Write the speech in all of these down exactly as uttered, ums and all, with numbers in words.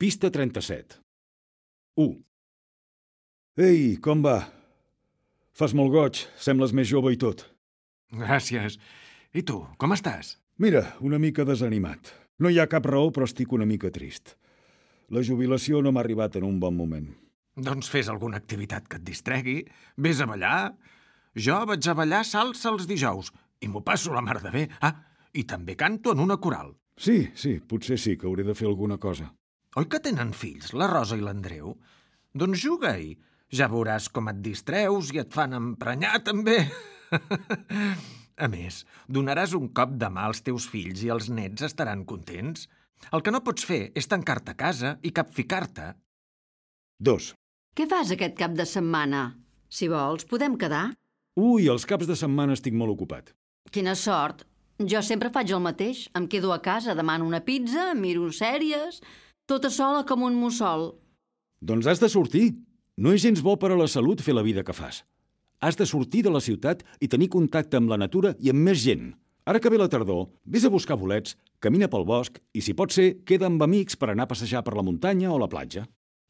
Pista trenta-set. u. Ei, com va? Fas molt goig, sembles més jove i tot. Gràcies. I tu, com estàs? Mira, una mica desanimat. No hi ha cap raó, però estic una mica trist. La jubilació no m'ha arribat en un bon moment. Doncs fes alguna activitat que et distregui. Vés a ballar. Jo vaig a ballar salsa els dijous i m'ho passo la mar de bé. Ah, i també canto en una coral. Sí, sí, potser sí que hauré de fer alguna cosa. Oi que tenen fills, la Rosa i l'Andreu? Doncs juga-hi. Ja veuràs com et distreus i et fan emprenyar, també. A més, donaràs un cop de mà als teus fills i els nets estaran contents. El que no pots fer és tancar-te a casa i capficar-te. Dos. Què fas aquest cap de setmana? Si vols, podem quedar. Ui, els caps de setmana estic molt ocupat. Quina sort. Jo sempre faig el mateix. Em quedo a casa, demano una pizza, miro sèries, tota sola com un mussol. Doncs has de sortir. No és gens bo per a la salut fer la vida que fas. Has de sortir de la ciutat i tenir contacte amb la natura i amb més gent. Ara que ve la tardor, vés a buscar bolets, camina pel bosc i, si pot ser, queda amb amics per anar a passejar per la muntanya o la platja.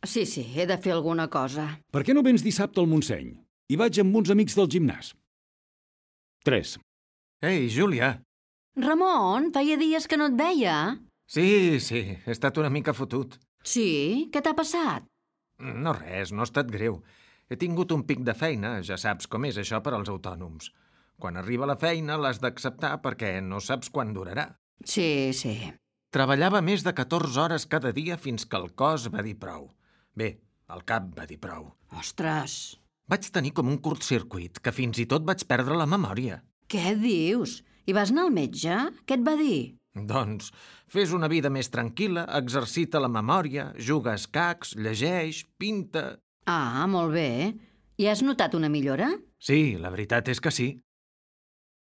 Sí, sí, he de fer alguna cosa. Per què no vens dissabte al Montseny? Hi vaig amb uns amics del gimnàs. Tres. Ei, Júlia. Ramon, feia dies que no et veia. Sí, sí, he estat una mica fotut. Sí? Què t'ha passat? No res, no ha estat greu. He tingut un pic de feina, ja saps com és això per als autònoms. Quan arriba la feina l'has d'acceptar perquè no saps quan durarà. Sí, sí. Treballava més de catorze hores cada dia fins que el cos va dir prou. Bé, el cap va dir prou. Ostres! Vaig tenir com un curtcircuit, que fins i tot vaig perdre la memòria. Què dius? I vas anar al metge? Què et va dir? Doncs fes una vida més tranquil·la, exercita la memòria, juga a escacs, llegeix, pinta... Ah, molt bé. I has notat una millora? Sí, la veritat és que sí.